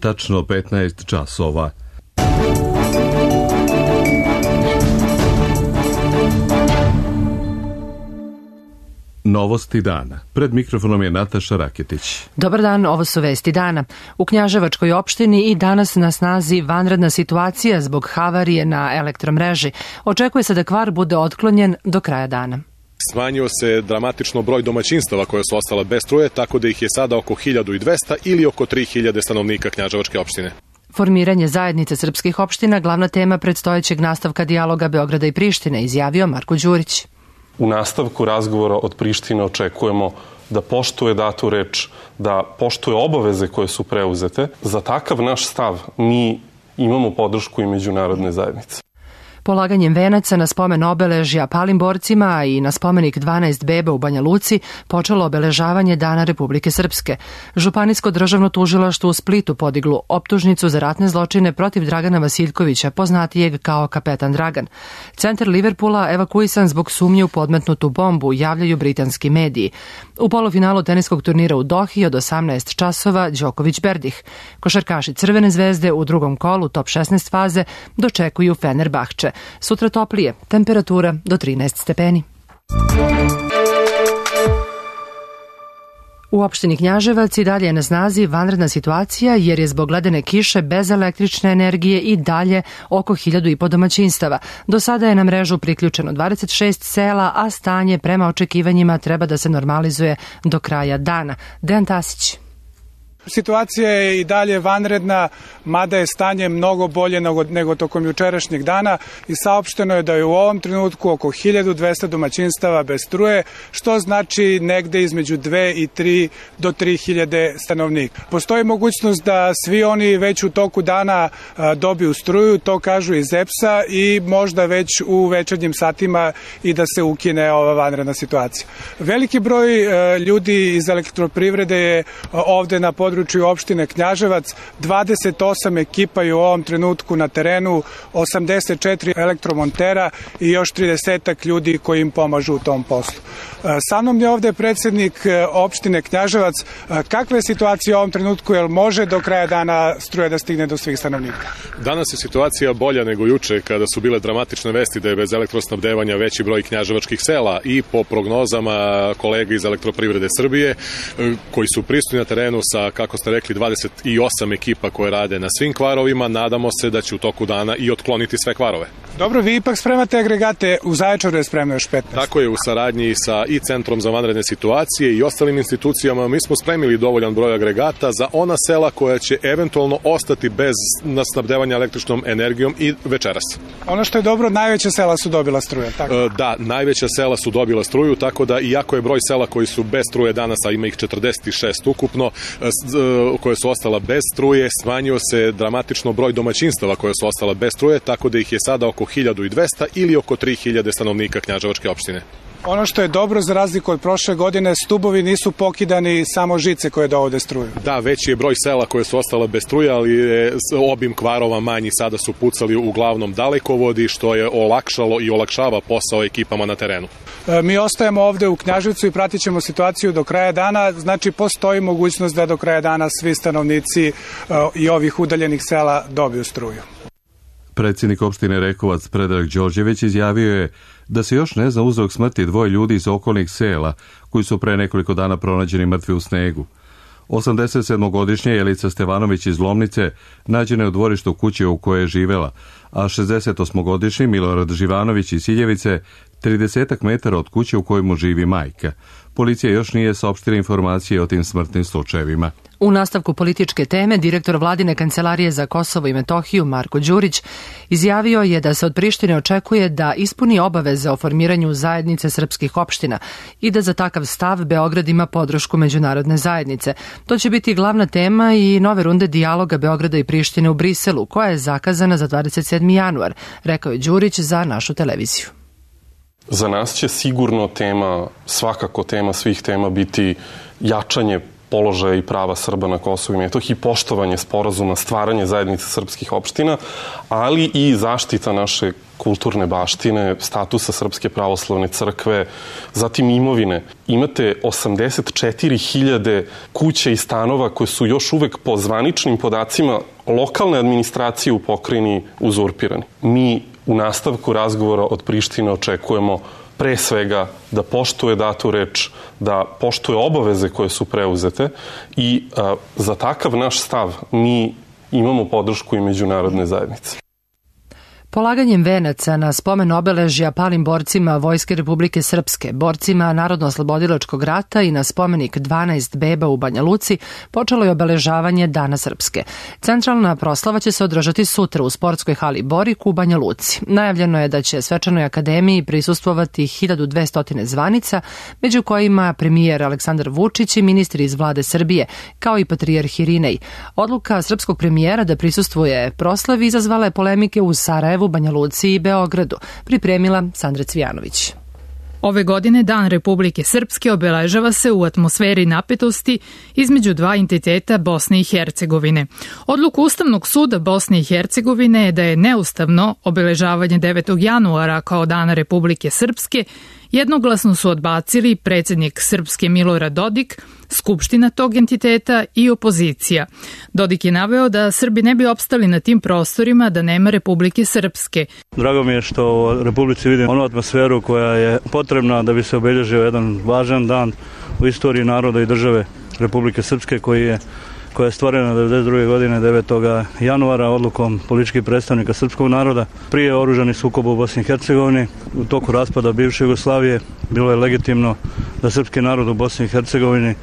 tačno 15 časova. Novosti dana. Pred mikrofonom je Nataša Raketić. Dobar dan, ovo su vesti dana. U Knjaževačkoj opštini i danas na snazi vanredna situacija zbog havarije na elektromreži. Očekuje se da kvar bude otklonjen do kraja dana. Smanjio se dramatično broj domaćinstava koja su ostala bez struje, tako da ih je sada oko 1200 ili oko 3000 stanovnika Knjaževačke opštine. Formiranje zajednice srpskih opština glavna tema predstojećeg nastavka dijaloga Beograda i Prištine, izjavio Marko Đurić. U nastavku razgovora od Prištine očekujemo da poštuje datu reč, da poštuje obaveze koje su preuzete. Za takav naš stav mi imamo podršku i međunarodne zajednice. Polaganjem venaca na spomen obeležja palim borcima i na spomenik 12 beba u Banja Luci počelo obeležavanje Dana Republike Srpske. Županijsko državno tužilaštvo u Splitu podiglo optužnicu za ratne zločine protiv Dragana Vasiljkovića, poznatijeg kao Kapetan Dragan. Centar Liverpoola evakuisan zbog sumnje u podmetnutu bombu, javljaju britanski mediji. U polufinalu teniskog turnira u Dohi od 18 časova Đoković Berdih. Košarkaši Crvene zvezde u drugom kolu top 16 faze dočekuju Fenerbahče. Sutra toplije, temperatura do 13 stepeni. U opštini Knjaževac i dalje je na snazi vanredna situacija jer je zbog ledene kiše bez električne energije i dalje oko 1500 domaćinstava. Do sada je na mrežu priključeno 26 sela, a stanje prema očekivanjima treba da se normalizuje do kraja dana. Dejan Tasić. Situacija je i dalje vanredna, mada je stanje mnogo bolje nego tokom jučerašnjeg dana i saopšteno je da je u ovom trenutku oko 1200 domaćinstava bez struje, što znači negde između 2 i 3 do 3000 stanovnika. Postoji mogućnost da svi oni već u toku dana dobiju struju, to kažu iz EPS-a, i možda već u večernjim satima i da se ukine ova vanredna situacija. Veliki broj ljudi iz elektroprivrede je ovde na području opštine Knjaževac, 28 ekipa je u ovom trenutku na terenu, 84 elektromontera i još 30 ljudi koji im pomažu u tom poslu. Sa mnom je ovde predsjednik opštine Knjaževac. Kakva je situacija u ovom trenutku, jel može do kraja dana struja da stigne do svih stanovnika? Danas je situacija bolja nego juče kada su bile dramatične vesti da je bez elektrosnabdevanja veći broj knjaževačkih sela, i po prognozama kolega iz Elektroprivrede Srbije koji su prisutni na terenu sa, kako ste rekli, 28 ekipa koje rade na svim kvarovima, nadamo se da će u toku dana i otkloniti sve kvarove. Dobro, vi ipak spremate agregate, u Zaječaru je spremno još 15. Tako je, u saradnji sa i Centrom za vanredne situacije i ostalim institucijama mi smo spremili dovoljan broj agregata za ona sela koja će eventualno ostati bez snabdevanja električnom energijom i večeras. Ono što je dobro, najveća sela su dobila struju, tako? Da, najveća sela su dobila struju, tako da iako je broj sela koji su bez struje danas, a ima ih 46 ukupno, koje su ostala bez struje, smanjio se dramatično broj domaćinstava koje su ostala bez struje, tako da ih je sada oko 1200 ili oko 3000 stanovnika Knjaževačke opštine. Ono što je dobro, za razliku od prošle godine, stubovi nisu pokidani, samo žice koje dovode struju. Da, veći je broj sela koje su ostala bez struje, ali je obim kvarova manji, sada su pucali uglavnom dalekovodi, što je olakšalo i olakšava posao ekipama na terenu. Mi ostajemo ovde u Knjaževcu i pratit ćemo situaciju do kraja dana, znači postoji mogućnost da do kraja dana svi stanovnici i ovih udaljenih sela dobiju struju. Predsjednik opštine Rekovac Predrag Đorđević izjavio je da se još ne zna uzrok smrti 2 ljudi iz okolnih sela koji su pre nekoliko dana pronađeni mrtvi u snegu. 87-godišnja Jelica Stevanović iz Lomnice nađena je u dvorištu kuće u kojoj je živela, a 68-godišnji Milorad Živanović iz Siljevice 30 metara od kuće u kojoj mu živi majka. Policija još nije saopštila informacije o tim smrtnim slučajevima. U nastavku političke teme, direktor Vladine kancelarije za Kosovo i Metohiju Marko Đurić izjavio je da se od Prištine očekuje da ispuni obaveze o formiranju zajednice srpskih opština i da za takav stav Beograd ima podršku međunarodne zajednice. To će biti glavna tema i nove runde dijaloga Beograda i Prištine u Briselu, koja je zakazana za 27. januar, rekao je Đurić za našu televiziju. Za nas će sigurno tema, svakako tema svih tema, biti jačanje položaja i prava Srba na Kosovu i Metohiji, poštovanje sporazuma, stvaranje zajednice srpskih opština, ali i zaštita naše kulturne baštine, statusa Srpske pravoslavne crkve, zatim imovine. Imate 84.000 kuća i stanova koje su još uvek po zvaničnim podacima lokalne administracije u pokrajini uzurpirani. Mi u nastavku razgovora od Prištine očekujemo pre svega da poštuje datu reč, da poštuje obaveze koje su preuzete i za takav naš stav mi imamo podršku i međunarodne zajednice. Polaganjem venaca na spomen obeležja palim borcima Vojske Republike Srpske, borcima Narodno-oslobodilačkog rata i na spomenik 12 beba u Banja Luci počelo je obeležavanje Dana Srpske. Centralna proslava će se održati sutra u sportskoj hali Borik u Banja Luci. Najavljeno je da će svečanoj akademiji prisustvovati 1200 zvanica, među kojima premijer Aleksandar Vučić i ministri iz vlade Srbije, kao i patrijarh Irinej. Odluka srpskog premijera da prisustvuje proslavi izazvala je polemike u Sarajevu, Banja Luci i Beogradu, pripremila Sandra Cvijanović. Ove godine Dan Republike Srpske obeležava se u atmosferi napetosti između dva entiteta Bosne i Hercegovine. Odluku Ustavnog suda Bosne i Hercegovine je da je neustavno obeležavanje 9. januara kao Dana Republike Srpske jednoglasno su odbacili predsjednik Srpske Milorad Dodik, skupština tog entiteta i opozicija. Dodik je naveo da Srbi ne bi opstali na tim prostorima da nema Republike Srpske. Drago mi je što u Republici vidim onu atmosferu koja je potrebna da bi se obeležio jedan važan dan u istoriji naroda i države Republike Srpske koja je stvorena 1992. godine 9. januara odlukom političkih predstavnika srpskog naroda. Prije oružanih sukoba u Bosni i Hercegovini, u toku raspada bivše Jugoslavije, bilo je legitimno da srpski narod u Bosni i Hercegovini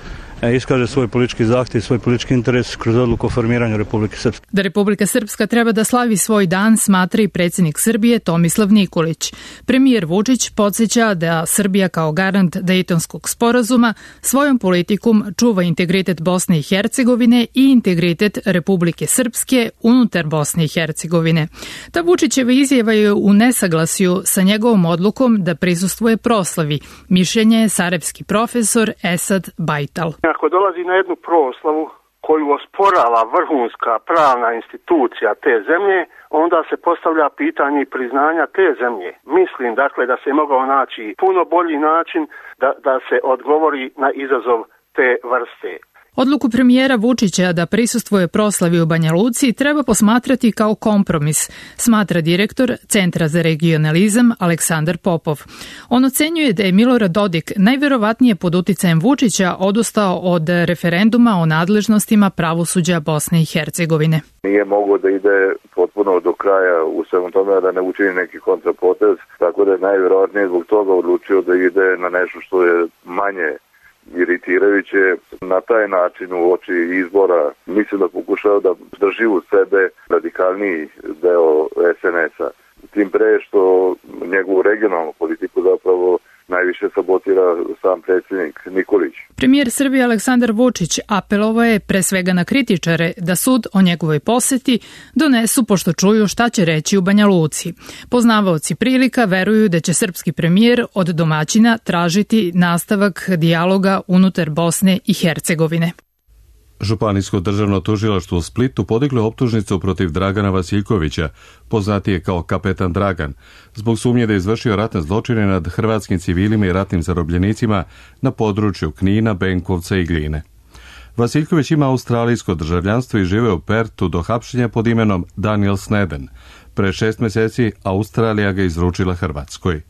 iskaže svoj politički zahtjev i svoj politički interes kroz odluku o formiranju Republike Srpske. Da Republika Srpska treba da slavi svoj dan smatra i predsjednik Srbije Tomislav Nikolić. Premijer Vučić podsjeća da Srbija kao garant Dejtonskog sporazuma svojom politikom čuva integritet Bosne i Hercegovine i integritet Republike Srpske unutar Bosne i Hercegovine. Ta Vučićeva izjava je u nesaglasju sa njegovom odlukom da prisustvuje proslavi. Mišljenje je sarajevski profesor Esad Bajtal. Ako dolazi na jednu proslavu koju osporava vrhunska pravna institucija te zemlje, onda se postavlja pitanje priznanja te zemlje. Mislim dakle da se mogao naći puno bolji način da se odgovori na izazov te vrste. Odluku premijera Vučića da prisustvuje proslavi u Banja Luci treba posmatrati kao kompromis, smatra direktor Centra za regionalizam Aleksandar Popov. On ocenjuje da je Milorad Dodik najverovatnije pod uticajem Vučića odustao od referenduma o nadležnostima pravosuđa Bosne i Hercegovine. Nije mogao da ide potpuno do kraja u svemu tome, da ne učini neki kontrapotez, tako da je najverovatnije zbog toga odlučio da ide na nešto što je manje iritirajuće. Na taj način u oči izbora mislim da pokušao da drži u sebe radikalniji deo SNS-a. Tim pre što njegovu regionalnu politiku zapravo najviše sabotira sam predsjednik Nikolić. Premijer Srbije Aleksandar Vučić apelovao je pre svega na kritičare da sud o njegovoj poseti donesu pošto čuju šta će reći u Banja Luci. Poznavaoci prilika veruju da će srpski premijer od domaćina tražiti nastavak dijaloga unutar Bosne i Hercegovine. Županijsko državno tužilaštvo u Splitu podiglo optužnicu protiv Dragana Vasiljkovića, poznatije kao Kapetan Dragan, zbog sumnje da je izvršio ratne zločine nad hrvatskim civilima i ratnim zarobljenicima na području Knina, Benkovca i Gline. Vasiljković ima australijsko državljanstvo i žive u Pertu do hapšenja pod imenom Daniel Sneden. Pre 6 meseci Australija ga izručila Hrvatskoj.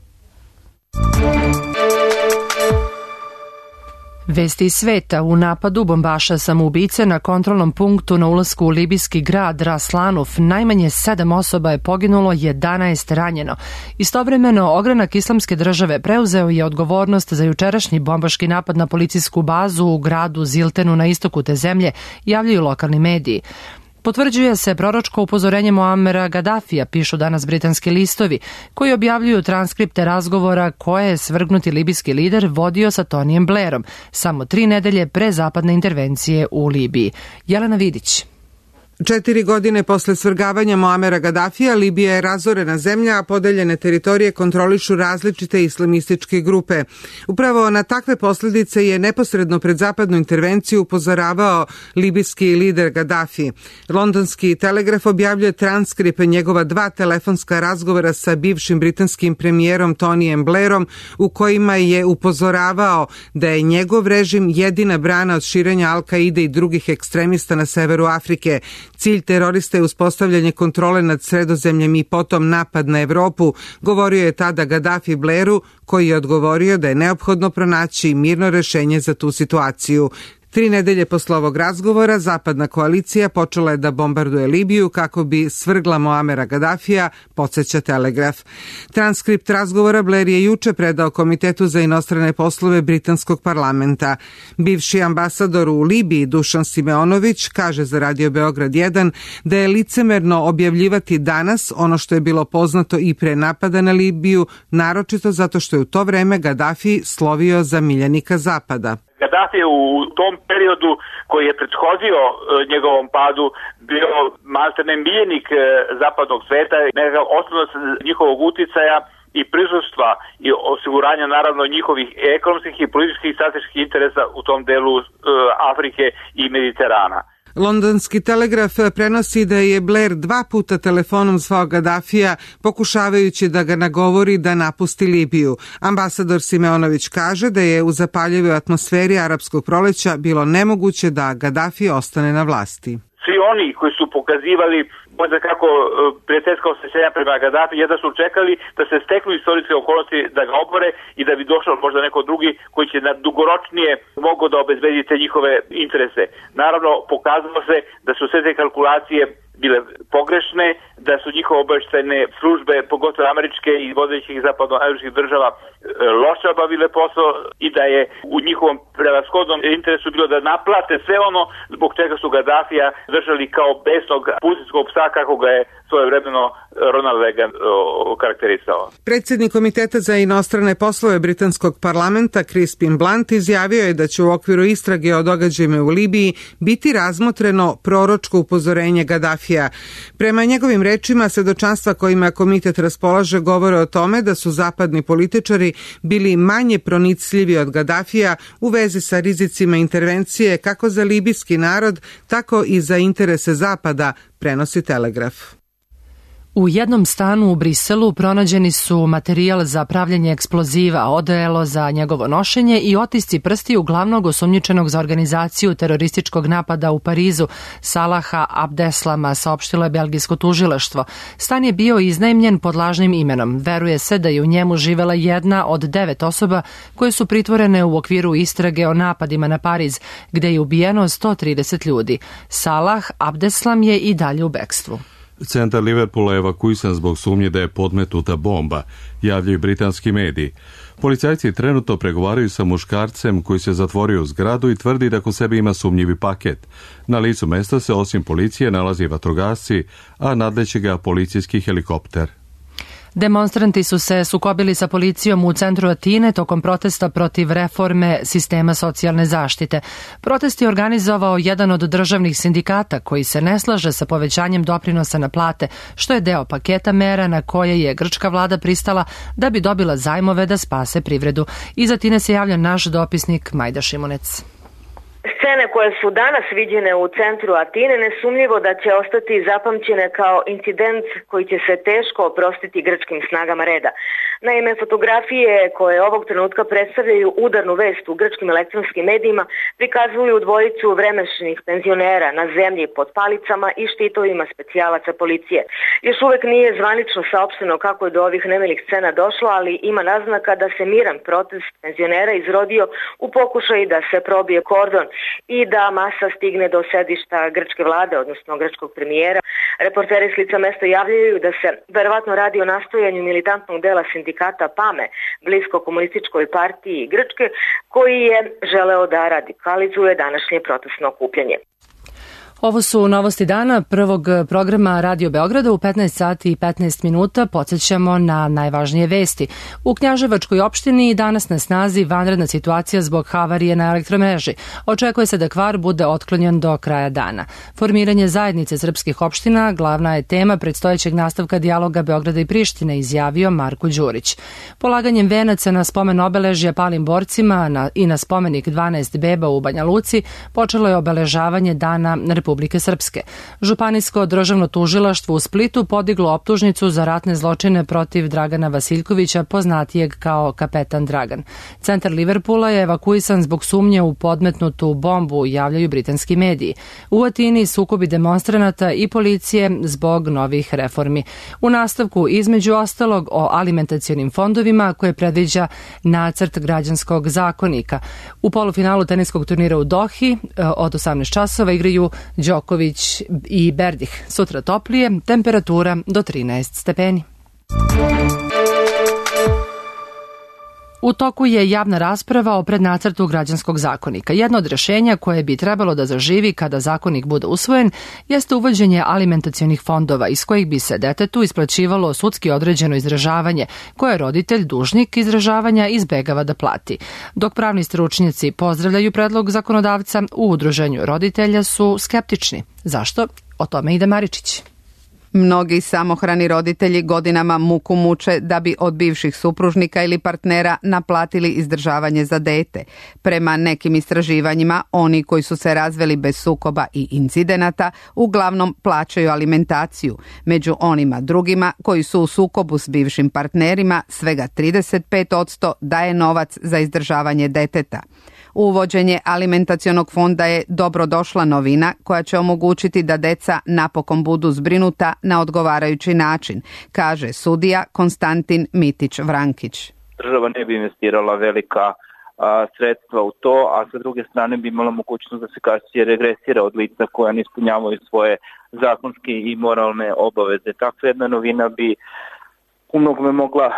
Vesti iz sveta. U napadu bombaša samoubice na kontrolnom punktu na ulasku u libijski grad Ras Lanuf najmanje 7 osoba je poginulo, 11 ranjeno. Istovremeno, ogranak Islamske države preuzeo je odgovornost za jučerašnji bombaški napad na policijsku bazu u gradu Ziltenu na istoku te zemlje, javljaju lokalni mediji. Potvrđuje se proročko upozorenje Muamera Gaddafija, pišu danas britanski listovi, koji objavljuju transkripte razgovora koje je svrgnuti libijski lider vodio sa Tonijem Blairom, samo 3 nedelje pre zapadne intervencije u Libiji. Jelena Vidić. 4 godine posle svrgavanja Muamera Gadafija, Libija je razorena zemlja, a podeljene teritorije kontrolišu različite islamističke grupe. Upravo na takve posljedice je neposredno pred zapadnu intervenciju upozoravao libijski lider Gadafi. Londonski Telegraf objavljuje transkript njegova 2 telefonska razgovora sa bivšim britanskim premijerom Tonyjem Blairom, u kojima je upozoravao da je njegov režim jedina brana od širenja Al-Kaide i drugih ekstremista na severu Afrike. Cilj terorista je uspostavljanje kontrole nad Sredozemljem i potom napad na Evropu, govorio je tada Gadafi Blairu, koji je odgovorio da je neophodno pronaći mirno rešenje za tu situaciju. 3 nedelje posle ovog razgovora, zapadna koalicija počela je da bombarduje Libiju kako bi svrgla Muamera Gadafija, podsjeća Telegraf. Transkript razgovora Blair je juče predao Komitetu za inostrane poslove britanskog parlamenta. Bivši ambasador u Libiji Dušan Simeonović kaže za Radio Beograd 1 da je licemerno objavljivati danas ono što je bilo poznato i pre napada na Libiju, naročito zato što je u to vreme Gadafi slovio za miljenika Zapada. Gadafi je u tom periodu koji je prethodio njegovom padu bio maltene miljenik zapadnog sveta, nekakav osnovac njihovog uticaja i prisustva i osiguranja naravno njihovih ekonomskih i političkih i strateških interesa u tom delu Afrike i Mediterana. Londonski Telegraf prenosi da je Blair 2 puta telefonom zvao Gadafija pokušavajući da ga nagovori da napusti Libiju. Ambasador Simeonović kaže da je u zapaljivoj atmosferi arapskog proleća bilo nemoguće da Gadafi ostane na vlasti. Svi oni koji su pokazivali možda kako prijateljska osjećanja prema Gadafi, jedva su čekali da se steknu istorijske okolnosti da ga obore i da bi došao možda neko drugi koji će na dugoročnije mogao da obezbedi te njihove interese. Naravno, pokazalo se da su sve te kalkulacije bile pogrešne, da su njihove obavještajne službe, pogotovo američke i vodećih zapadnoameričkih država, loše obavile posao i da je u njihovom prevashodnom interesu bilo da naplate sve ono zbog čega su Gadafija držali kao besnog pustinskog psa, kako ga je svojevremeno Ronald Reagan karakterisao. Predsjednik Komiteta za inostrane poslove britanskog parlamenta Crispin Blunt izjavio je da će u okviru istrage o događajima u Libiji biti razmotreno proročko upozorenje Gadafija. Prema njegovim rečima, svedočanstva kojima komitet raspolaže govore o tome da su zapadni političari bili manje pronicljivi od Gadafija u vezi sa rizicima intervencije kako za libijski narod, tako i za interese Zapada, prenosi Telegraf. U jednom stanu u Briselu pronađeni su materijal za pravljenje eksploziva, odelo za njegovo nošenje i otisci prstiju glavnog osumnjičenog za organizaciju terorističkog napada u Parizu, Salaha Abdeslama, saopštilo je belgijsko tužilaštvo. Stan je bio iznajmljen pod lažnim imenom. Veruje se da je u njemu živela jedna od 9 osoba koje su pritvorene u okviru istrage o napadima na Pariz, gde je ubijeno 130 ljudi. Salah Abdeslam je i dalje u bekstvu. Centar Liverpoola je evakuisan zbog sumnje da je podmetnuta bomba, javljaju britanski mediji. Policajci trenutno pregovaraju sa muškarcem koji se zatvorio u zgradu i tvrdi da kod sebe ima sumnjivi paket. Na licu mesta se osim policije nalazi vatrogasci, a nadleće ga policijski helikopter. Demonstranti su se sukobili sa policijom u centru Atine tokom protesta protiv reforme sistema socijalne zaštite. Protest je organizovao jedan od državnih sindikata koji se ne slaže sa povećanjem doprinosa na plate, što je deo paketa mera na koje je grčka vlada pristala da bi dobila zajmove da spase privredu. Iz Atine se javlja naš dopisnik Majda Šimunec. Scene koje su danas viđene u centru Atine nesumnjivo da će ostati zapamćene kao incident koji će se teško oprostiti grčkim snagama reda. Naime, fotografije koje ovog trenutka predstavljaju udarnu vest u grčkim elektronskim medijima prikazuju dvojicu vremešnih penzionera na zemlji pod palicama i štitovima specijalaca policije. Još uvek nije zvanično saopšteno kako je do ovih nemilih scena došlo, ali ima naznaka da se miran protest penzionera izrodio u pokušaju da se probije kordon i da masa stigne do sedišta grčke vlade, odnosno grčkog premijera. Reporteri s lica mesta javljaju da se verovatno radi o nastojanju militantnog dela sindikata PAME, blisko komunističkoj partiji Grčke, koji je želeo da radikalizuje današnje protestno okupljanje. Ovo su novosti dana prvog programa Radio Beograda u 15 sati i 15 minuta. Podsjećamo na najvažnije vesti. U Knjaževačkoj opštini danas na snazi vanredna situacija zbog havarije na elektromreži. Očekuje se da kvar bude otklonjen do kraja dana. Formiranje zajednice srpskih opština glavna je tema predstojećeg nastavka dijaloga Beograda i Prištine, izjavio Marko Đurić. Polaganjem venaca na spomen obeležja palim borcima i na spomenik 12 beba u Banja Luci počelo je obeležavanje Dana Republike Srpske. Županijsko državno tužilaštvo u Splitu podiglo optužnicu za ratne zločine protiv Dragana Vasiljkovića, poznatijeg kao Kapetan Dragan. Centar Liverpoola je evakuisan zbog sumnje u podmetnutu bombu, javljaju britanski mediji. U Atini sukobi demonstranata i policije zbog novih reformi. U nastavku, između ostalog, o alimentacionim fondovima koje predviđa nacrt građanskog zakonika. U polufinalu teniskog turnira u Dohi od 18 časova igraju Đoković i Berdih. Sutra toplije, temperatura do 13 stepeni. U toku je javna rasprava o prednacrtu građanskog zakonika. Jedno od rješenja koje bi trebalo da zaživi kada zakonik bude usvojen jeste uvođenje alimentacionih fondova iz kojih bi se detetu isplaćivalo sudski određeno izražavanje koje roditelj dužnik izražavanja izbegava da plati. Dok pravni stručnjaci pozdravljaju predlog zakonodavca, u udruženju roditelja su skeptični. Zašto? O tome ide Maričić. Mnogi samohrani roditelji godinama muku muče da bi od bivših supružnika ili partnera naplatili izdržavanje za dete. Prema nekim istraživanjima, oni koji su se razveli bez sukoba i incidenata uglavnom plaćaju alimentaciju. Među onima drugima koji su u sukobu s bivšim partnerima, svega 35% daje novac za izdržavanje deteta. Uvođenje alimentacionog fonda je dobrodošla novina koja će omogućiti da deca napokon budu zbrinuta na odgovarajući način, kaže sudija Konstantin Mitić-Vrankić. Država ne bi investirala velika sredstva u to, a sa druge strane bi imala mogućnost da se kasnije regresira od lica koja ne ispunjavaju svoje zakonske i moralne obaveze. Takva jedna novina bi u mnogome mogla,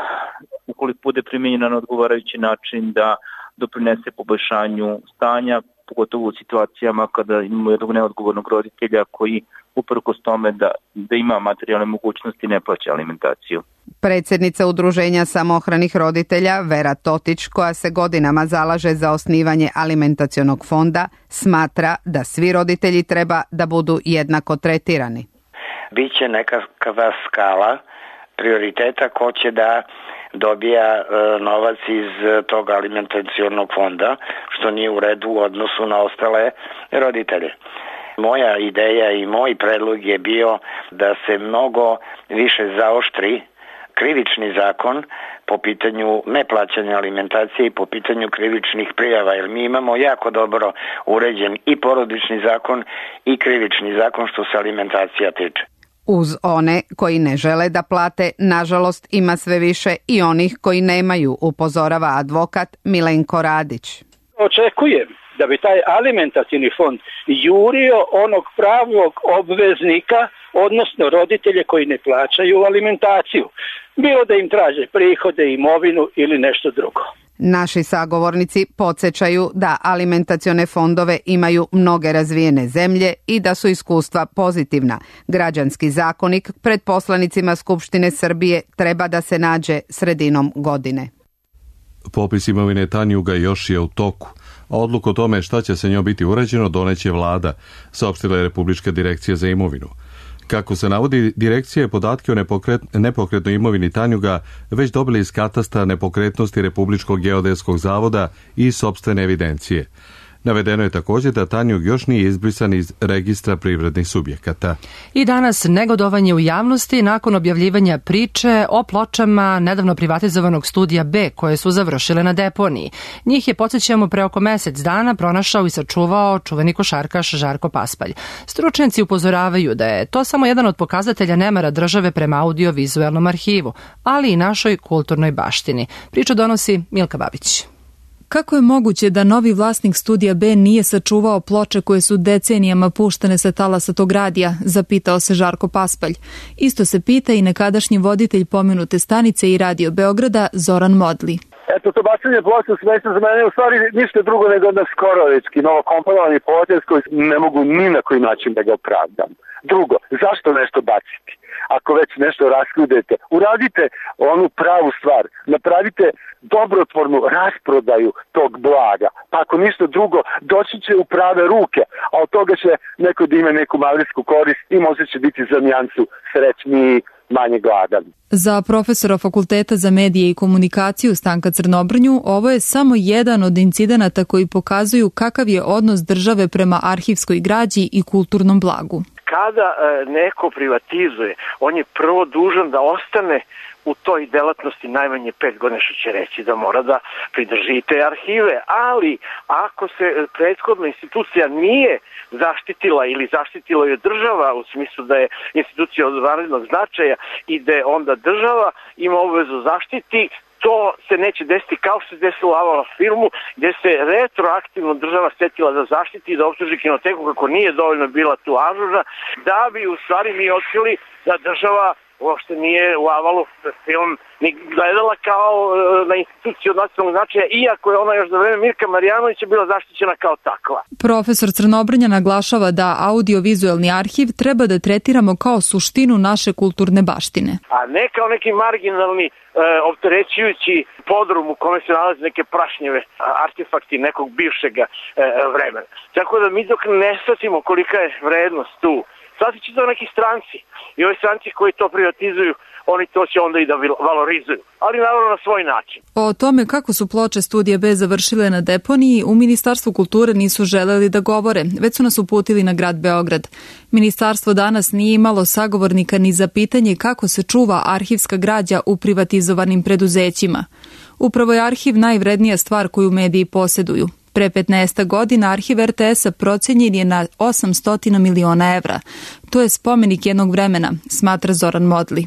ukoliko bude primijenjena na odgovarajući način, da doprinese poboljšanju stanja, pogotovo u situacijama kada imamo jednog neodgovornog roditelja koji uprkos tome da ima materijalne mogućnosti ne plaća alimentaciju. Predsjednica Udruženja samohranih roditelja Vera Totić, koja se godinama zalaže za osnivanje alimentacionog fonda, smatra da svi roditelji treba da budu jednako tretirani. Biće nekakva skala prioriteta ko će da dobija novac iz tog alimentacionog fonda, što nije u redu u odnosu na ostale roditelje. Moja ideja i moj predlog je bio da se mnogo više zaoštri krivični zakon po pitanju neplaćanja alimentacije i po pitanju krivičnih prijava, jer mi imamo jako dobro uređen i porodični zakon i krivični zakon što se alimentacija tiče. Uz one koji ne žele da plate, nažalost ima sve više i onih koji nemaju, upozorava advokat Milenko Radić. Očekujem da bi taj alimentacioni fond jurio onog pravnog obveznika, odnosno roditelje koji ne plaćaju alimentaciju. Bilo da im traže prihode, imovinu ili nešto drugo. Naši sagovornici podsjećaju da alimentacione fondove imaju mnoge razvijene zemlje i da su iskustva pozitivna. Građanski zakonik pred poslanicima Skupštine Srbije treba da se nađe sredinom godine. Popis imovine Tanjuga još je u toku, a odluku o tome šta će se njoj biti uređeno doneće vlada, saopštila je Republička direkcija za imovinu. Kako se navodi, direkcija je podatke o nepokretnoj imovini Tanjuga već dobili iz katastra nepokretnosti Republičkog geodetskog zavoda i sopstvene evidencije. Navedeno je također da Tanjug još nije izbrisan iz registra privrednih subjekata. I danas negodovanje u javnosti nakon objavljivanja priče o pločama nedavno privatizovanog studija B koje su završile na deponiji. Njih je, podsjećamo, pre oko mesec dana pronašao i sačuvao čuveni košarkaš Žarko Paspalj. Stručnjaci upozoravaju da je to samo jedan od pokazatelja nemara države prema audiovizualnom arhivu, ali i našoj kulturnoj baštini. Priču donosi Milka Babić. Kako je moguće da novi vlasnik studija B nije sačuvao ploče koje su decenijama puštane sa talasa tog radija, zapitao se Žarko Paspalj. Isto se pita i nekadašnji voditelj pomenute stanice i Radio Beograda Zoran Modli. Eto, to bacanje ploče u smeće za mene je u stvari ništa drugo nego jedan skorovički, novokomponovani potez koji ne mogu ni na koji način da ga opravdam. Drugo, zašto nešto baciti? Ako već nešto raskudete, uradite onu pravu stvar, napravite dobrotvornu rasprodaju tog blaga, pa ako ništa drugo, doći će u prave ruke, a od toga će neko da ima neku malisku korist i možda će biti za nijansu srećniji, manje gladan. Za profesora Fakulteta za medije i komunikaciju Stanka Crnobrnju ovo je samo jedan od incidenata koji pokazuju kakav je odnos države prema arhivskoj građi i kulturnom blagu. Kada neko privatizuje, on je prvo dužan da ostane u toj delatnosti najmanje 5 godina, što će reći da mora da pridrži te arhive, ali ako se prethodna institucija nije zaštitila ili zaštitila je država u smislu da je institucija od vanrednog značaja i da onda država ima obavezu zaštiti, to se neće desiti kao što se desilo u Avalon filmu, gde se retroaktivno država setila da zaštiti i da optuži Kinoteku kako nije dovoljno bila tu ažurna, da bi u stvari mi otkrili da država uopšte nije u Avalu film ni gledala kao na instituciju od nacionalnog značaja, iako je ona još za vreme Mirka Marjanovića bila zaštićena kao takva. Profesor Crnobrnja naglašava da audiovizualni arhiv treba da tretiramo kao suštinu naše kulturne baštine. A ne kao neki marginalni, opterećujući podrum u kome se nalaze neke prašnjeve artefakti nekog bivšega vremena. Tako da mi dok ne shvatimo kolika je vrednost tu, shvatit će to neki stranci i ovi stranci koji to privatizuju, oni to će onda i da valorizuju, ali naravno na svoj način. O tome kako su ploče Studija B završile na deponiji u Ministarstvu kulture nisu želeli da govore, već su nas uputili na grad Beograd. Ministarstvo danas nije imalo sagovornika ni za pitanje kako se čuva arhivska građa u privatizovanim preduzećima. Upravo je arhiv najvrednija stvar koju mediji poseduju. Pre 15 godina arhiv RTS-a procenjen je na 800 miliona evra. To je spomenik jednog vremena, smatra Zoran Modli.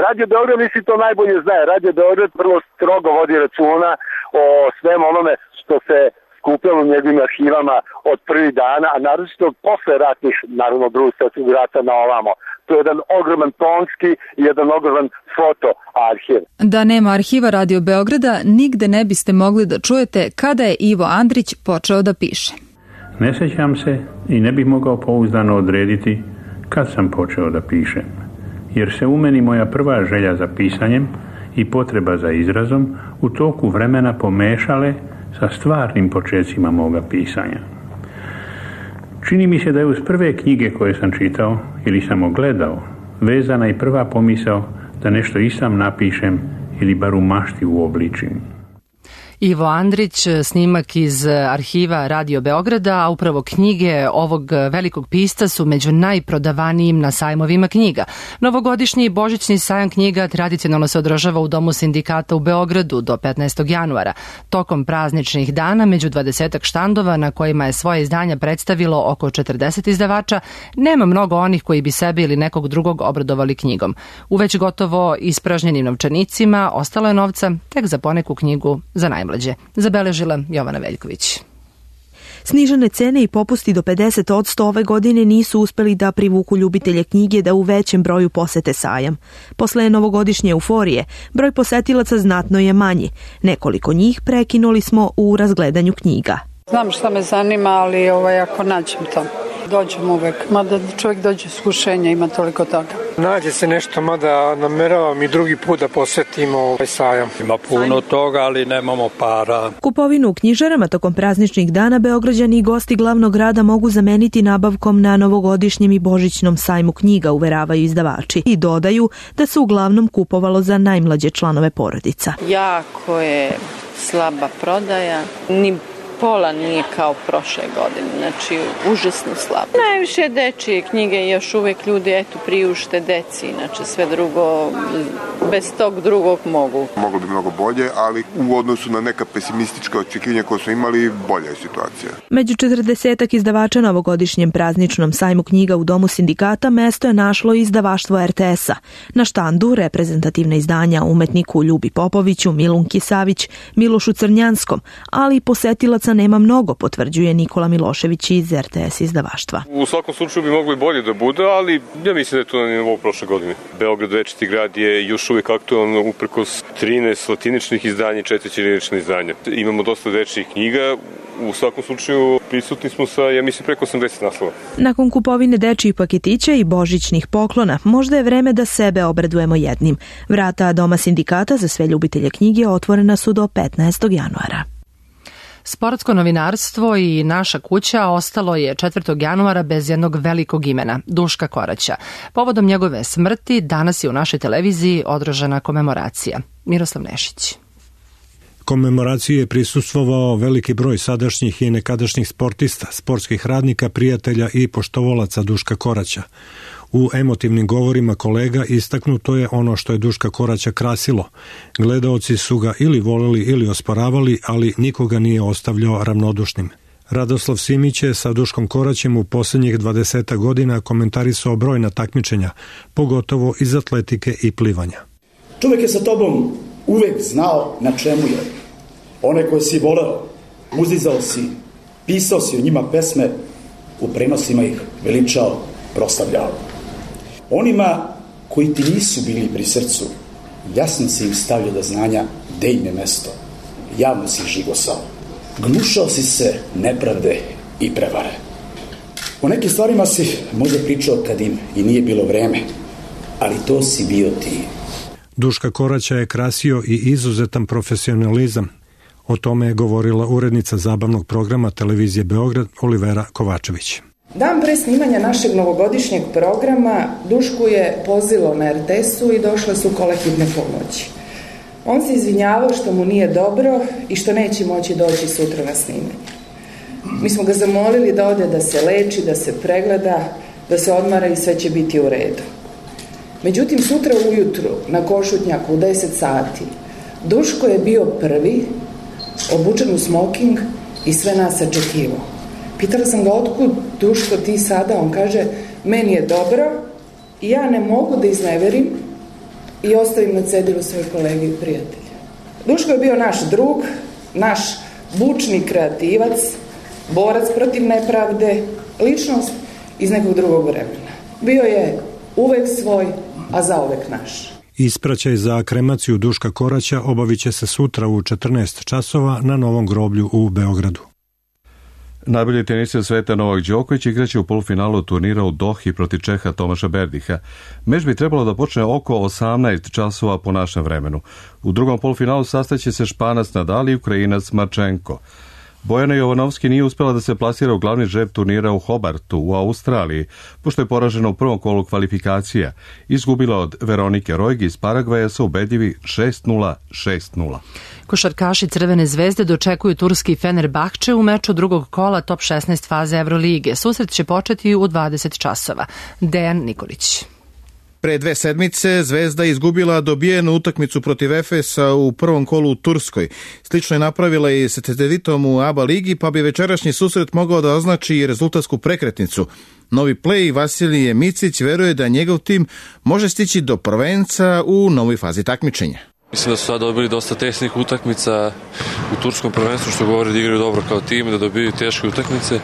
Radio Beograd misli to najbolje znaje. Radio Beograd vrlo strogo vodi računa o svemu onome što se skupljalo u njegovim arhivama od prvih dana, a naročito posle ratnih, naravno drugog svjetskog rata na ovamo. To je jedan ogroman tonski i jedan ogroman fotoarhiv. Da nema arhiva Radio Beograda, nigde ne biste mogli da čujete kada je Ivo Andrić počeo da piše. Ne sjećam se i ne bih mogao pouzdano odrediti kad sam počeo da pišem, jer se u meni moja prva želja za pisanjem i potreba za izrazom u toku vremena pomešale sa stvarnim počecima moga pisanja. Čini mi se da je uz prve knjige koje sam čitao ili samo gledao vezana i prva pomisao da nešto i sam napišem ili bar u mašti uobličim. Ivo Andrić, snimak iz arhiva Radio Beograda, a upravo knjige ovog velikog pisca su među najprodavanijim na sajmovima knjiga. Novogodišnji i božićni sajam knjiga tradicionalno se održava u Domu sindikata u Beogradu do 15. januara. Tokom prazničnih dana, među 20 štandova na kojima je svoje izdanja predstavilo oko 40 izdavača, nema mnogo onih koji bi sebe ili nekog drugog obradovali knjigom. U već gotovo ispražnjenim novčanicima ostalo je novca tek za poneku knjigu za najmlađe. Zabeležila Jovana Veljković. Snižene cene i popusti do 50% ove godine nisu uspeli da privuku ljubitelje knjige da u većem broju posete sajam. Posle novogodišnje euforije, broj posetilaca znatno je manji. Nekoliko njih prekinuli smo u razgledanju knjiga. Znam šta me zanima, ali ako nađem to, dođem uvek. Mada čovjek dođe s iskušenja, ima toliko toga. Nađe se nešto, mada nameravam i drugi put da posetimo sajam. Ima puno toga, ali nemamo para. Kupovinu u knjižarama tokom prazničnih dana Beograđani i gosti glavnog grada mogu zameniti nabavkom na novogodišnjem i božićnom sajmu knjiga, uveravaju izdavači. I dodaju da se uglavnom kupovalo za najmlađe članove porodica. Jako je slaba prodaja, ni pola nije kao prošle godine, znači užasno slabo. Najviše dečije knjige, još uvek ljudi priušte deci, znači sve drugo, bez tog drugog mogu. Moglo bi mnogo bolje, ali u odnosu na neka pesimistička očekivanja koje smo imali, bolja je situacija. Među 40 izdavača na ovogodišnjem prazničnom sajmu knjiga u Domu sindikata mesto je našlo izdavaštvo RTS-a. Na štandu reprezentativna izdanja umetniku Ljubi Popoviću, Milunki Savić, Milošu Crnjanskom, ali i posetilaca posla nema mnogo, potvrđuje Nikola Milošević iz RTS izdavaštva. U svakom slučaju bi moglo i bolje da bude, ali ja mislim da je to na nivou prošle godine. Beograd večiti grad je još uvijek aktualno uprkos 13 latiničnih izdanja i 4 ćirilična izdanja. Imamo dosta dečjih knjiga, u svakom slučaju prisutni smo sa, ja mislim, preko 80 naslova. Nakon kupovine dečjih paketića i božićnih poklona, možda je vreme da sebe obradujemo jednim. Vrata Doma sindikata za sve ljubitelje knjige otvorena su do 15. januara. Sportsko novinarstvo i Naša kuća ostalo je 4. januara bez jednog velikog imena, Duška Koraća. Povodom njegove smrti danas je u našoj televiziji održana komemoracija. Miroslav Nešić. Komemoraciji je prisustvovao veliki broj sadašnjih i nekadašnjih sportista, sportskih radnika, prijatelja i poštovalaca Duška Koraća. U emotivnim govorima kolega istaknuto je ono što je Duška Koraća krasilo. Gledaoci su ga ili voleli ili osporavali, ali nikoga nije ostavljao ravnodušnim. Radoslav Simić je sa Duškom Koraćem u posljednjih 20 godina komentarisao brojna takmičenja, pogotovo iz atletike i plivanja. Čovjek je sa tobom uvek znao na čemu je. One koje si voleo, uzdizao si, pisao si o njima pesme, u prenosima ih veličao, proslavljao. Onima koji ti nisu bili pri srcu, jasno si im stavljao do znanja gde im je mesto. Javno si ih žigosao. Gnušao si se nepravde i prevare. O nekim stvarima si možda pričao kad im i nije bilo vreme, ali to si bio ti. Duška Koraća je krasio i izuzetan profesionalizam. O tome je govorila urednica zabavnog programa televizije Beograd Olivera Kovačević. Dan pre snimanja našeg novogodišnjeg programa Dušku je pozvalo na RTS-u i došle su kole hitne pomoći. On se izvinjavao što mu nije dobro i što neće moći doći sutra na snimanje. Mi smo ga zamolili da ode da se leči, da se pregleda, da se odmara i sve će biti u redu. Međutim, sutra ujutru na Košutnjaku u 10 sati Duško je bio prvi, obučen u smoking i sve nas očekivao. Pitala sam ga otkud Duško ti sada, on kaže meni je dobro i ja ne mogu da izneverim i ostavim na cedilu svoje kolege i prijatelje. Duško je bio naš drug, naš bučni kreativac, borac protiv nepravde, ličnost iz nekog drugog vremena. Bio je uvek svoj, a zauvek naš. Ispraćaj za kremaciju Duška Koraća obavit će se sutra u 14 časova na Novom groblju u Beogradu. Najbolji tenisir sveta Novak Đoković igraće u polufinalu turnira u Dohi protiv Čeha Tomaša Berdiha. Meč bi trebalo da počne oko 18 časova po našem vremenu. U drugom polufinalu sastaće se Španac Nadal i Ukrajinac Marčenko. Bojana Jovanovski nije uspjela da se plasira u glavni žreb turnira u Hobartu u Australiji, pošto je poražena u prvom kolu kvalifikacija. Izgubila od Veronike Rojgi iz Paragvaja sa ubedljivi 6-0, 6-0. Košarkaši Crvene zvezde dočekuju turski Fenerbahče u meču drugog kola top 16 faze Evrolige. Susret će početi u 20 časova. Dejan Nikolić. Pre 2 sedmice Zvezda izgubila dobijenu utakmicu protiv Efesa u prvom kolu u Turskoj. Slično je napravila i sa Cedevicom u ABA ligi, pa bi večerašnji susret mogao da označi i rezultatsku prekretnicu. Novi play Vasilije Micić veruje da njegov tim može stići do prvenca u novoj fazi takmičenja. Mislim da su sad dobili dosta tesnih utakmica u turskom prvenstvu, što govori da igraju dobro kao tim, da dobiju teške utakmice.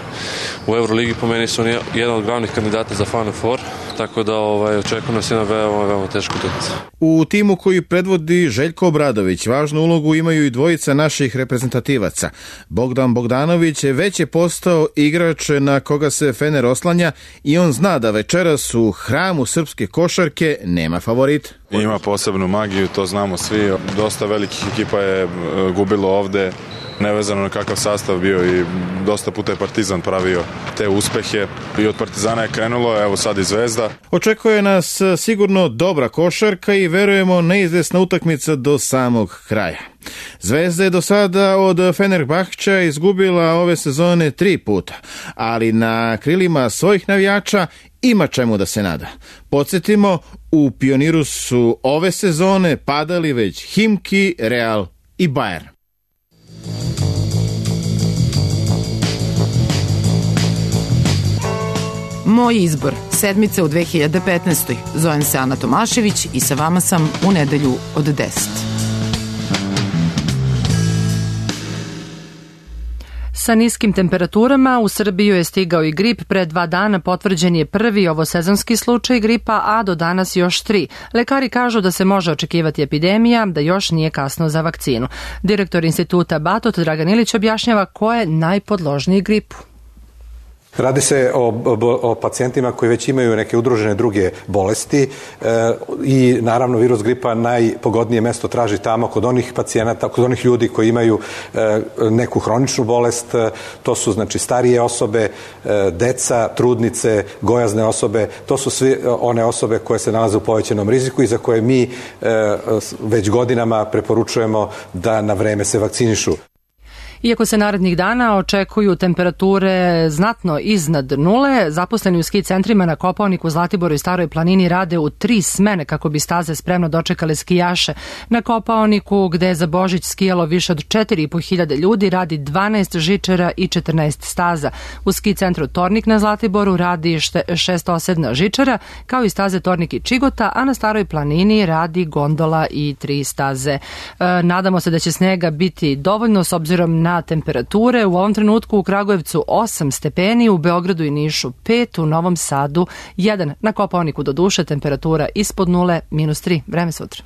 U Euroligi po meni su jedan od glavnih kandidata za Final Four, tako da očekujem nas jedna veoma teška utakmica. U timu koji predvodi Željko Obradović važnu ulogu imaju i dvojica naših reprezentativaca. Bogdan Bogdanović već je postao igrač na koga se Fener oslanja i on zna da večeras u hramu srpske košarke nema favorit. Ima posebnu magiju, to znamo svi. Dosta velikih ekipa je gubilo ovde, nevezano na kakav sastav bio i dosta puta je Partizan pravio te uspehe i od Partizana je krenulo, evo sad i Zvezda. Očekuje nas sigurno dobra košarka i verujemo neizvesna utakmica do samog kraja. Zvezda je do sada od Fenerbahča izgubila ove sezone 3 puta, ali na krilima svojih navijača ima čemu da se nada. Podsjetimo, u Pioniru su ove sezone padali već Himki, Real i Bayern. Moj izbor, sedmice u 2015. Zovem se Ana Tomašević i sa vama sam u nedelju od 10. Sa niskim temperaturama u Srbiju je stigao i grip. Pre 2 dana potvrđen je prvi ovosezonski slučaj gripa, a do danas još 3. Lekari kažu da se može očekivati epidemija, da još nije kasno za vakcinu. Direktor instituta Batot Dragan Ilić objašnjava ko je najpodložniji gripu. Radi se o pacijentima koji već imaju neke udružene druge bolesti i naravno virus gripa najpogodnije mesto traži tamo kod onih pacijenata, kod onih ljudi koji imaju neku hroničnu bolest. To su znači starije osobe, deca, trudnice, gojazne osobe. To su sve one osobe koje se nalaze u povećanom riziku i za koje mi već godinama preporučujemo da na vreme se vakcinišu. Iako se narednih dana očekuju temperature znatno iznad nule, zaposleni u ski centrima na Kopaoniku, Zlatiboru i Staroj planini rade u 3 smene kako bi staze spremno dočekale skijaše. Na Kopaoniku, gde je za Božić skijalo više od 4.500 ljudi, radi 12 žičara i 14 staza. U ski centru Tornik na Zlatiboru radi 6 žičara, kao i staze Tornik i Čigota, a na Staroj planini radi gondola i 3 staze. Nadamo se da će snega biti dovoljno s obzirom na temperature. U ovom trenutku u Kragujevcu 8 stepeni, u Beogradu i Nišu 5, u Novom Sadu 1. Na Kopaoniku do duše temperatura ispod nule, -3. Vreme sutra.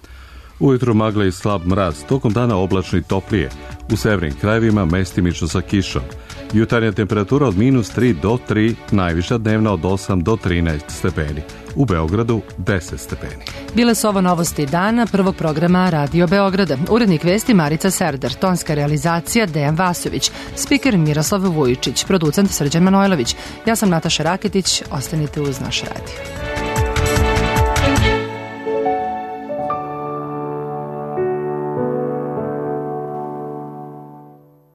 Ujutro magle i slab mraz, tokom dana oblačno i toplije. U severnim krajevima mestimično sa kišom. Jutarnja temperatura od -3 do 3, najviša dnevna od 8 do 13 stepeni. U Beogradu 10 stepeni. Bile su ovo novosti dana prvog programa Radio Beograda. Urednik vesti Marica Serdar, tonska realizacija Dejan Vasović, spiker Miroslav Vujičić, producent Srđan Manojlović. Ja sam Nataša Raketić, ostanite uz naš radio.